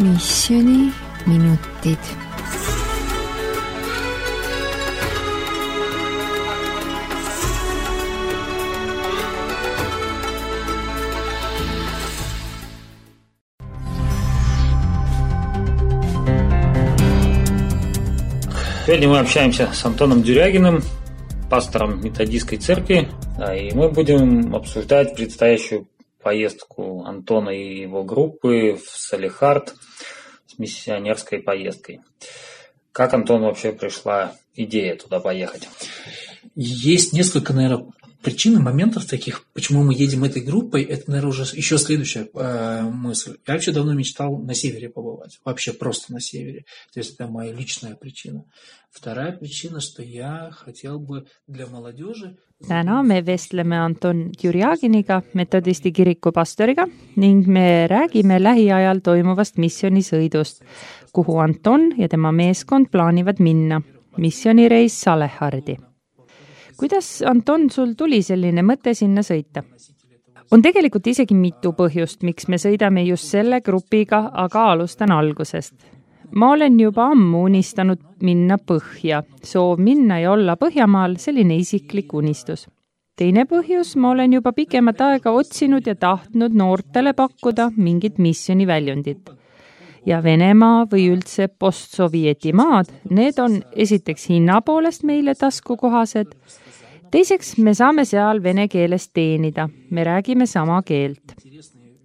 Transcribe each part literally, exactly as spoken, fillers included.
Missioni minutid. Сегодня мы общаемся с Антоном Дюрягиным, пастором методистской церкви, и мы будем обсуждать предстоящую поездку Антона и его группы в Салехард с миссионерской поездкой. Как, Антон, вообще пришла идея туда поехать? Есть несколько, наверное, причин и моментов таких, почему мы едем этой группой. Это, наверное, уже еще следующая э, мысль. Я вообще давно мечтал на севере побывать. Вообще просто на севере. То есть это моя личная причина. Вторая причина, что я хотел бы для молодежи... Täna me vestleme Anton Djurjaginiga, metodisti kiriku pastoriga, ning me räägime lähiajal toimuvast missioonisõidust, kuhu Anton ja tema meeskond plaanivad minna. Missionireis Salehardi. Kuidas, Anton, sul tuli selline mõte sinna sõita? On tegelikult isegi mitu põhjust, miks me sõidame just selle grupiga, aga alustan algusest. Ma olen juba ammu unistanud minna põhja. Soov minna ja olla Põhjamaal, selline isiklik unistus. Teine põhjus, ma olen juba pikemat aega otsinud ja tahtnud noortele pakkuda mingit missioniväljundit. Ja Venemaa või üldse postsovieti maad, need on esiteks hinna poolest meile taskukohased. Teiseks, me saame seal vene keeles teenida. Me räägime sama keelt.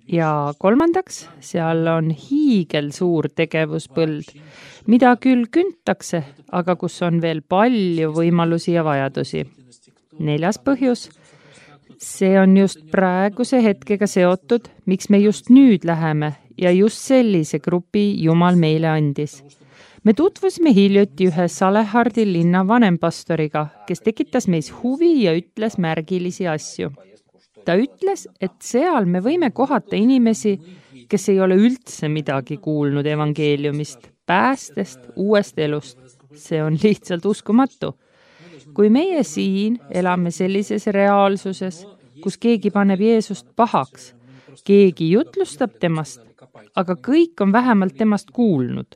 Ja kolmandaks, seal on hiigel suur tegevuspõld, mida küll küntakse, aga kus on veel palju võimalusi ja vajadusi. Neljas põhjus, see on just praeguse hetkega seotud, miks me just nüüd läheme ja just sellise grupi Jumal meile andis. Me tutvusime hiljuti ühe Salehardi linna vanempastoriga, kes tekitas meis huvi ja ütles märgilisi asju. Ta ütles, et seal me võime kohata inimesi, kes ei ole üldse midagi kuulnud evangeeliumist, päästest, uuest elust. See on lihtsalt uskumatu. Kui meie siin elame sellises reaalsuses, kus keegi paneb Jeesust pahaks, keegi jutlustab temast, aga kõik on vähemalt temast kuulnud,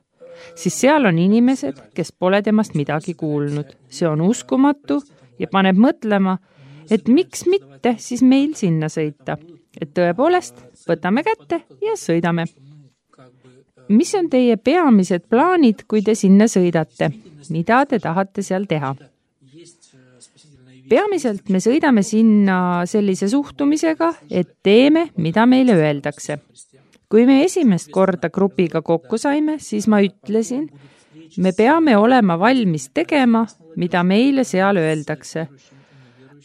siis seal on inimesed, kes pole temast midagi kuulnud. See on uskumatu ja paneb mõtlema, et miks mitte siis meil sinna sõita. Et tõepoolest, võtame kätte ja sõidame. Mis on teie peamised plaanid, kui te sinna sõidate? Mida te tahate seal teha? Peamiselt me sõidame sinna sellise suhtumisega, et teeme, mida meile öeldakse. Kui me esimest korda grupiga kokku saime, siis ma ütlesin, me peame olema valmis tegema, mida meile seal öeldakse.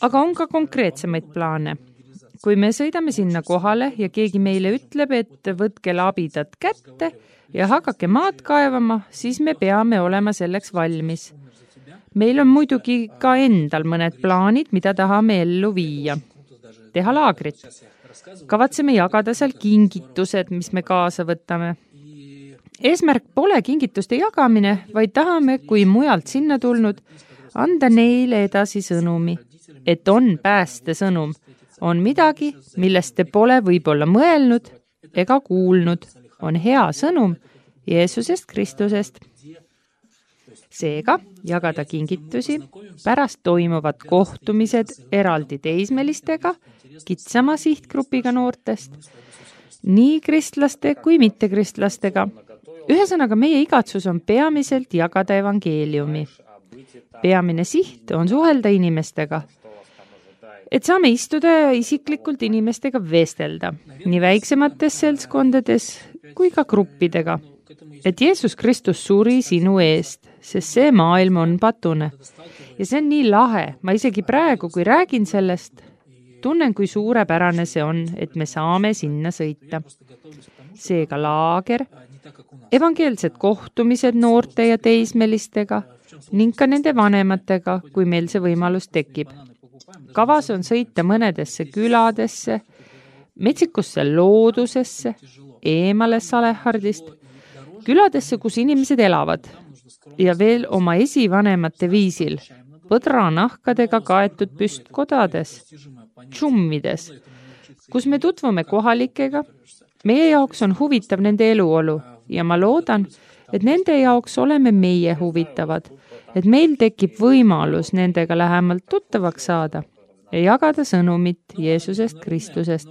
Aga on ka konkreetsemaid plaane. Kui me sõidame sinna kohale ja keegi meile ütleb, et võtke labidad kätte ja hakake maad kaevama, siis me peame olema selleks valmis. Meil on muidugi ka endal mõned plaanid, mida tahame ellu viia. Teha laagrit. Kavatseme jagada seal kingitused, mis me kaasa võtame. Eesmärk pole kingituste jagamine, vaid tahame, kui mujalt sinna tulnud, anda neile edasi sõnumi. Et on pääste sõnum, on midagi, millest te pole võib-olla mõelnud ega kuulnud, on hea sõnum Jeesusest Kristusest. Seega jagada kingitusi, pärast toimuvad kohtumised eraldi teismelistega, kitsama sihtgrupiga noortest, nii kristlaste kui mittekristlastega. Ühesõnaga, meie igatsus on peamiselt jagada evangeeliumi. Peamine siht on suhelda inimestega. Et saame istuda ja isiklikult inimestega vestelda, nii väiksemates seltskondades kui ka gruppidega. Et Jeesus Kristus suri sinu eest, sest see maailm on patune. Ja see on nii lahe, ma isegi praegu, kui räägin sellest, tunnen, kui suurepärane see on, et me saame sinna sõita. Seega laager, evangeelsed kohtumised noorte ja teismelistega ning ka nende vanematega, kui meil see võimalus tekib. Kavas on sõita mõnedesse küladesse, metsikusse loodusesse, eemale Salehardist, küladesse, kus inimesed elavad ja veel oma esivanemate viisil, põdranahkadega kaetud püstkodades, tšummides, kus me tutvume kohalikega. Meie jaoks on huvitav nende eluolu, ja ma loodan, et nende jaoks oleme meie huvitavad, et meil tekib võimalus nendega lähemalt tuttavaks saada ja jagada sõnumit Jeesusest Kristusest.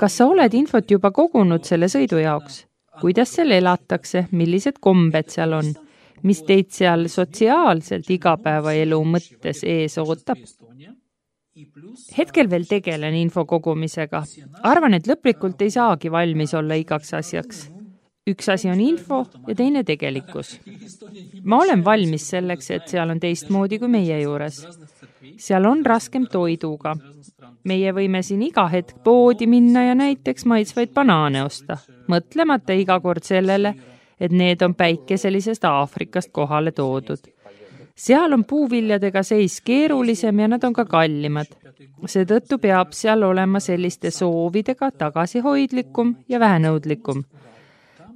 Kas sa oled infot juba kogunud selle sõidu jaoks? Kuidas seal elatakse, millised kombed seal on, mis teid seal sotsiaalselt igapäevaelu mõttes ees ootab? Hetkel veel tegelen info kogumisega. Arvan, et lõplikult ei saagi valmis olla igaks asjaks. Üks asi on info ja teine tegelikkus. Ma olen valmis selleks, et seal on teistmoodi kui meie juures. Seal on raskem toiduga. Meie võime siin iga hetk poodi minna ja näiteks maitsvaid banaane osta, mõtlemata iga kord sellele, et need on päikeselisest Aafrikast kohale toodud. Seal on puuviljadega seis keerulisem ja nad on ka kallimad. Seetõttu peab seal olema selliste soovidega tagasihoidlikum ja vähenõudlikum.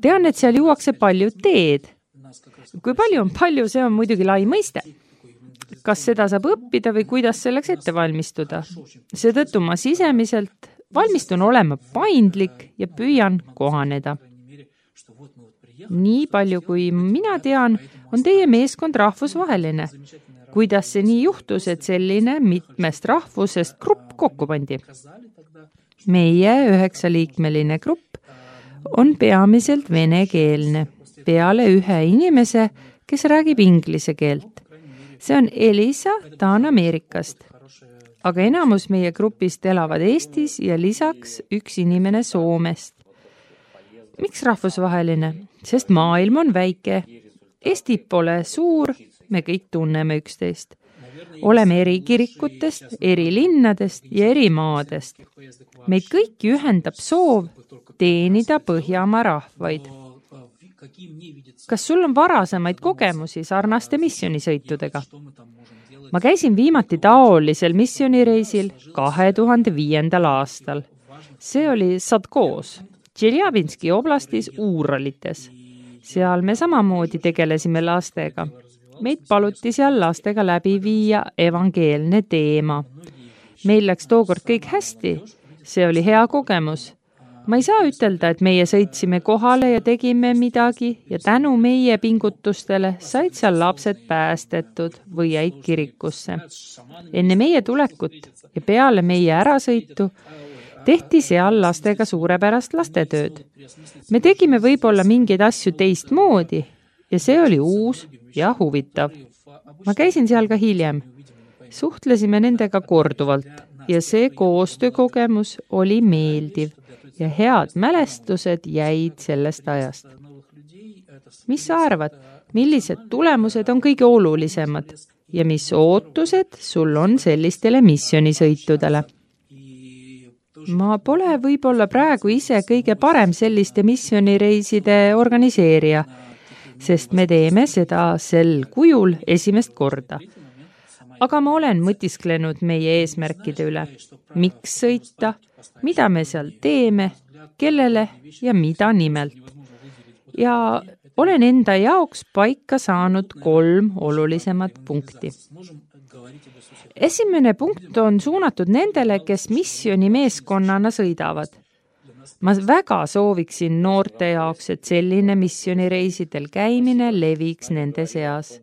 Tean, et seal juuakse palju teed. Kui palju on palju, see on muidugi lai mõiste. Kas seda saab õppida või kuidas selleks ette valmistuda? Seetõttu ma sisemiselt valmistun olema paindlik ja püüan kohaneda. Nii palju kui mina tean, on teie meeskond rahvusvaheline. Kuidas see nii juhtus, et selline mitmest rahvusest grupp kokku pandi? Meie üheksaliikmeline grupp on peamiselt venekeelne, peale ühe inimese, kes räägib inglise keelt. See on Elisa, ta on Ameerikast. Aga enamus meie grupist elavad Eestis ja lisaks üks inimene Soomest. Miks rahvusvaheline? Sest maailm on väike. Eesti pole suur, me kõik tunneme üksteist. Oleme eri kirikutest, eri linnadest ja eri maadest. Meid kõiki ühendab soov teenida Põhjamaa rahvaid. Kas sul on varasemaid kogemusi sarnaste missioonisõitudega? Ma käisin viimati taolisel missionireisil kahe tuhande viiendal aastal. See oli Sadkoos, Tšeljabinski oblastis Uuralites. Seal me samamoodi tegelesime lastega. Meid paluti seal lastega läbi viia evangeelne teema. Meil läks tookord kõik hästi. See oli hea kogemus. Ma ei saa ütelda, et meie sõitsime kohale ja tegime midagi ja tänu meie pingutustele said seal lapsed päästetud või jäid kirikusse. Enne meie tulekut ja peale meie ärasõitu tehti seal lastega suurepärast lastetööd. Me tegime võib-olla mingeid asju teistmoodi ja see oli uus ja huvitav. Ma käisin seal ka hiljem. Suhtlesime nendega korduvalt ja see koostöökogemus oli meeldiv. Ja head mälestused jäid sellest ajast. Mis sa arvad, millised tulemused on kõige olulisemad ja mis ootused sul on sellistele missioonisõitudele? Ma pole võib-olla praegu ise kõige parem selliste missionireiside organiseerija, sest me teeme seda sel kujul esimest korda. Aga ma olen mõtisklenud meie eesmärkide üle. Miks sõita? Mida me seal teeme, kellele ja mida nimelt. Ja olen enda jaoks paika saanud kolm olulisemat punkti. Esimene punkt on suunatud nendele, kes missiooni meeskonnana sõidavad. Ma väga sooviksin noorte jaoks, et selline missionireisidel käimine leviks nende seas,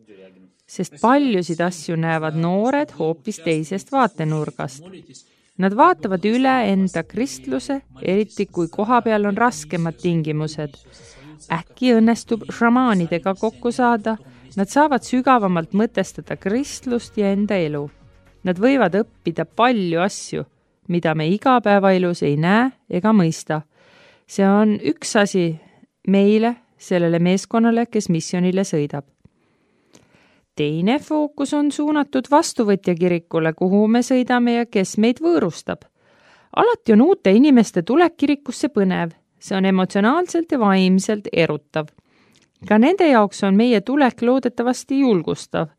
sest paljusid asju näevad noored hoopis teisest vaatenurgast. Nad vaatavad üle enda kristluse, eriti kui koha peal on raskemad tingimused. Äkki õnnestub šamaanidega kokku saada, nad saavad sügavamalt mõtestada kristlust ja enda elu. Nad võivad õppida palju asju, mida me igapäevaelus ei näe ega mõista. See on üks asi meile, sellele meeskonnale, kes missionile sõidab. Teine fookus on suunatud vastuvõtja kirikule, kuhu me sõidame ja kes meid võõrustab. Alati on uute inimeste tulek kirikusse põnev. See on emotsionaalselt ja vaimselt erutav. Ka nende jaoks on meie tulek loodetavasti julgustav.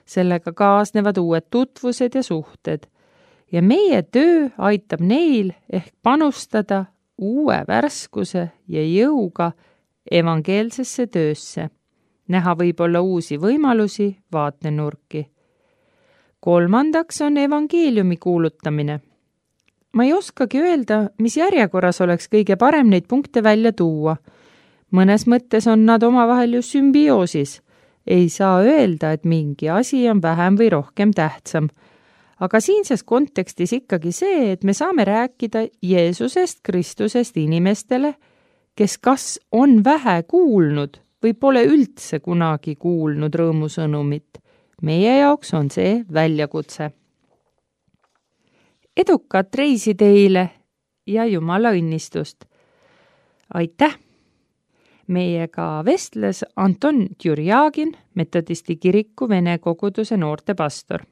Sellega kaasnevad uued tutvused ja suhted. Ja meie töö aitab neil ehk panustada uue värskuse ja jõuga evangeelsesse töösse. Näha võib-olla uusi võimalusi, vaatenurki. Kolmandaks on evangeeliumi kuulutamine. ma ei oskagi öelda, mis järjekorras oleks kõige parem neid punkte välja tuua. Mõnes mõttes on nad omavahel ju sümbioosis. Ei saa öelda, et mingi asi on vähem või rohkem tähtsam. Aga siinses kontekstis ikkagi see, et me saame rääkida Jeesusest, Kristusest inimestele, kes kas on vähe kuulnud või pole üldse kunagi kuulnud rõõmusõnumit. Meie jaoks on see väljakutse. Edukat reisi teile ja Jumala õnnistust! Aitäh! Meiega vestles Anton Tjurjagin, metodisti kiriku Vene koguduse noortepastor.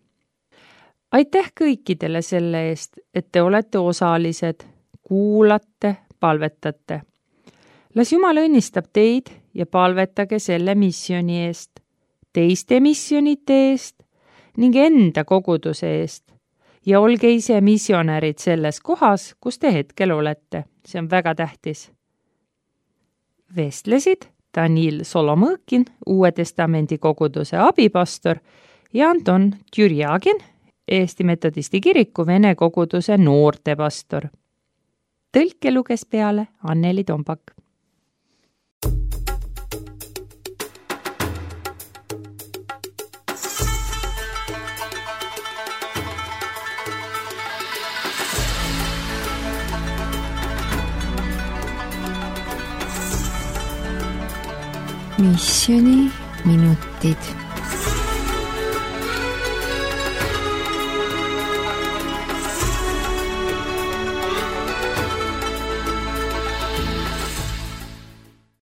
Aitäh kõikidele selle eest, et te olete osalised, kuulate, palvetate. Las Jumal õnnistab teid ja palvetage selle missiooni eest, teiste missionite eest ning enda koguduse eest ja olge ise missionärid selles kohas, kus te hetkel olete. See on väga tähtis. Vestlesid Danil Solomõkin, Uue Testamendi koguduse abipastor ja Anton Tjurjagin, Eesti metodisti kiriku Vene koguduse noortepastor. Tõlke luges peale Anneli Tombak. Missioni minutid.